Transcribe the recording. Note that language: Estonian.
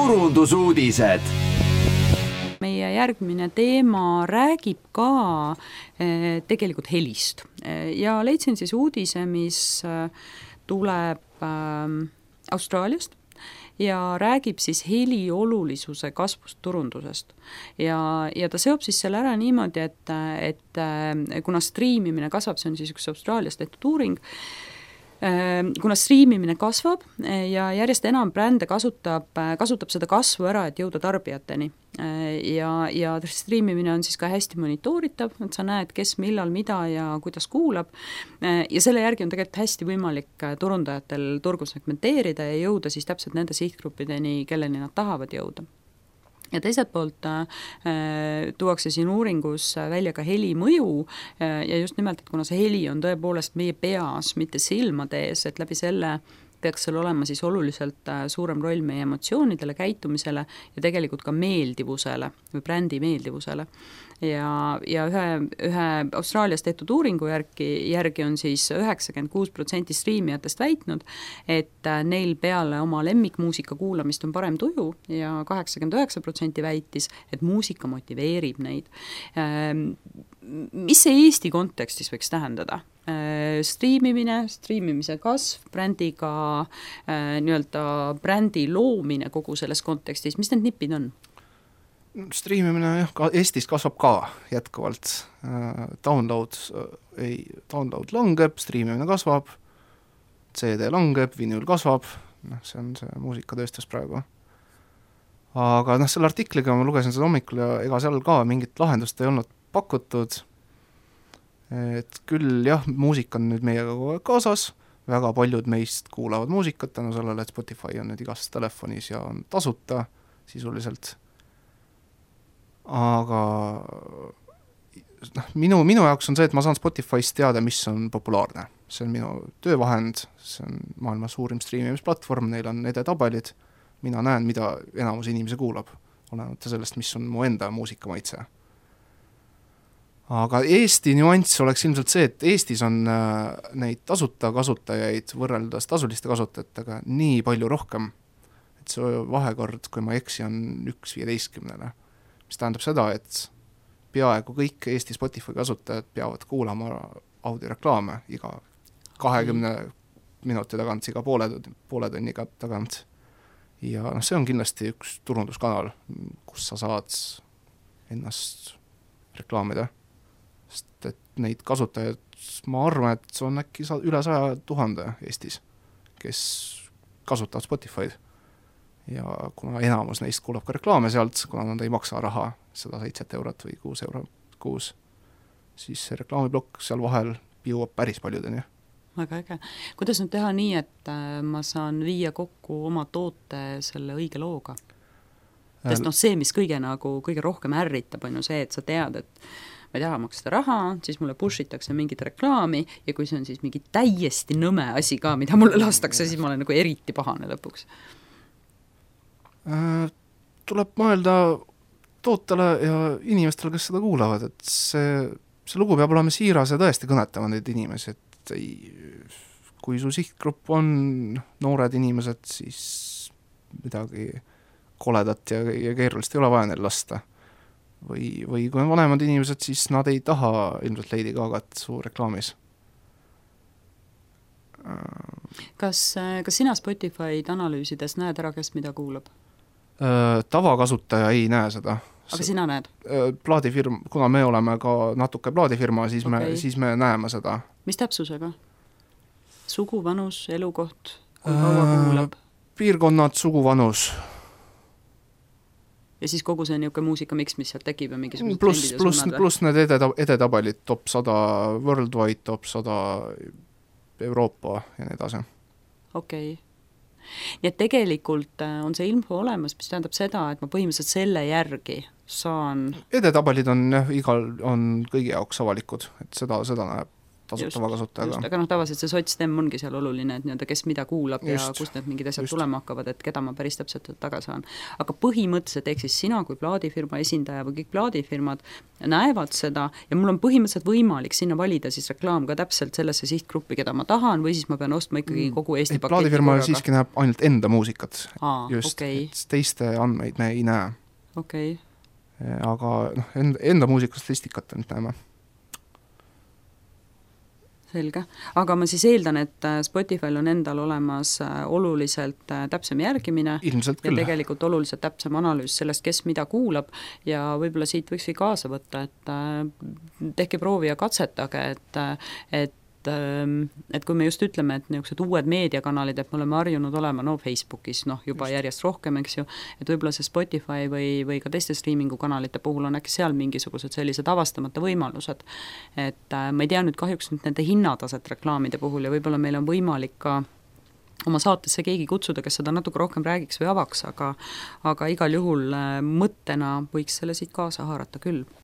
turundusuudised. Meie järgmine teema räägib ka tegelikult helist ja leidsin siis uudise, mis tuleb Austraaliast ja räägib siis heli olulisuse kasvust turundusest. Ja ta seob siis selle ära niimoodi, et kuna striimimine kasvab, see on siis üks Austraalias tehtud uuring, kuna striimimine kasvab ja järjest enam brände kasutab seda kasvu ära, et jõuda tarbijateni. Ja striimimine on siis ka hästi monitooritav, et sa näed, kes millal, mida ja kuidas kuulab. Ja selle järgi on tegelikult hästi võimalik turundajatel turgu segmenteerida ja jõuda siis täpselt nende sihtgruppideni, kelleni nad tahavad jõuda. Ja teiselt poolt tuuakse siin uuringus välja ka heli mõju ja just nimelt, et kuna see heli on tõepoolest meie peas, mitte silmade ees, et läbi selle peaks seal olema siis oluliselt suurem roll meie emotsioonidele, käitumisele ja tegelikult ka meeldivusele või brändi meeldivusele. Ja ühe Austraalias tehtud uuringu järgi on siis 96% striimijatest väitnud, et neil peale oma lemmikmuusika kuulamist on parem tuju ja 89% väitis, et muusika motiveerib neid. Mis see Eesti kontekstis võiks tähendada? Striimimise kasv, brändiga nii-öelda brändi loomine kogu selles kontekstis, mis need nipid on? Striimimine jah, Eestis kasvab ka jätkuvalt. Download langeb, striimimine kasvab, CD langeb, vinyl kasvab, see on see muusikatööstus praegu. Aga selle artikliga ma lugesin seda hommikul ja ega seal ka mingit lahendust ei olnud pakutud. Et küll jah, muusika on nüüd meiega kogu aeg kaasas, väga paljud meist kuulavad muusikat tänu sellele, et Spotify on nüüd igas telefonis ja on tasuta sisuliselt. Aga minu jaoks on see, et ma saan Spotify'st teada, mis on populaarne. See on minu töövahend, see on maailma suurim striimimisplatvorm, neil on edetabelid, mina näen, mida enamus inimesi kuulab, olenemata sellest, mis on mu enda muusikamaitse. Aga Eesti nüanss oleks ilmselt see, et Eestis on neid tasuta kasutajaid võrreldes tasuliste kasutajatega nii palju rohkem, et see vahekord, kui ma eksi, on 1/15, mis tähendab seda, et peaaegu kõik Eesti Spotify kasutajad peavad kuulama audioreklaame iga 20 minuti tagant, iga poole tunniga tagant. Ja see on kindlasti üks turunduskanal, kus sa saad ennast reklaamida. Sest et neid kasutajaid, ma arvan, et on äkki üle 100 000 Eestis, kes kasutavad Spotify'd. Ja kuna enamus neist kuulab ka reklaame sealt, kuna nad ei maksa raha, 107 eurot või 6 eurot kuus, siis see reklaamiblokk seal vahel jõuab päris paljudeni. Väga äge. Kuidas nüüd teha nii, et ma saan viia kokku oma toote selle õige looga? Sest see, mis kõige rohkem ärritab, on ju see, et sa tead, et ma ei taha maksta raha, siis mulle pushitakse mingit reklaami ja kui see on siis mingi täiesti nõme asi ka, mida mulle lastakse, siis ma olen nagu eriti pahane lõpuks. Tuleb mõelda tootele ja inimestele, kes seda kuulavad, et see lugu peab olema siiras ja tõesti kõnetama neid inimesi, et kui su sihtgrupp on noored inimesed, siis midagi koledat ja keerulist ei ole vaja neil lasta. Või kui on vanemad inimesed, siis nad ei taha ilmselt Lady Gagat su reklaamis. Kas sina Spotify'd analüüsides näed ära, kes mida kuulab? Tavakasutaja ei näe seda. Aga sina näed? Plaadifirma, kuna me oleme ka natuke plaadifirma, siis me näeme seda. Mis täpsusega? Sugu, vanus, elukoht, kui kaua kuulab? Piirkonnad, sugu, vanus. Ja siis kogu see niuke muusikamiks, mis sealt tekib ja mingisugused trendid ja suunad? Pluss need edetabelid, top 100 worldwide, top 100 Euroopa ja nii edasi. Okei. Nii et tegelikult on see info olemas, mis tähendab seda, et ma põhimõtteliselt selle järgi saan... Edetabelid on kõigi jaoks avalikud, et seda näeb tasutava kasutajaga. Aga tavaliselt see sotstem ongi seal oluline, et nii-öelda kes mida kuulab ja kust need mingid asjad tulema hakkavad, et keda ma päris täpselt taga saan. Aga põhimõtteliselt, ehk siis sina kui plaadifirma esindaja või kõik plaadifirmad näevad seda ja mul on põhimõtteliselt võimalik sinna valida siis reklaam ka täpselt sellesse sihtgruppi, keda ma tahan, või siis ma pean ostma ikkagi kogu Eesti paketi. Plaadifirma siiski näeb ainult enda muusikat. Okay. Teiste andmeid me ei näe. Okay. Aga enda muusikastatistikat nüüd näeme. Selge. Aga ma siis eeldan, et Spotify'l on endal olemas oluliselt täpsem järgimine. Ilmselt küll. Ja tegelikult oluliselt täpsem analüüs sellest, kes mida kuulab ja võib-olla siit võiks kaasa võtta, et tehke proovi ja katsetage, et kui me just ütleme, et niisugused uued meediakanalid, et me oleme harjunud olema Facebookis juba järjest rohkem, eks ju, et võib-olla see Spotify või ka teiste streamingu kanalite puhul on äkki seal mingisugused sellised avastamata võimalused. Et ma ei tea nüüd kahjuks nüüd nende hinnataset reklaamide puhul ja võib-olla meil on võimalik ka oma saatesse keegi kutsuda, kes seda natuke rohkem räägiks või avaks, aga igal juhul mõttena võiks selle siit kaasa haarata küll.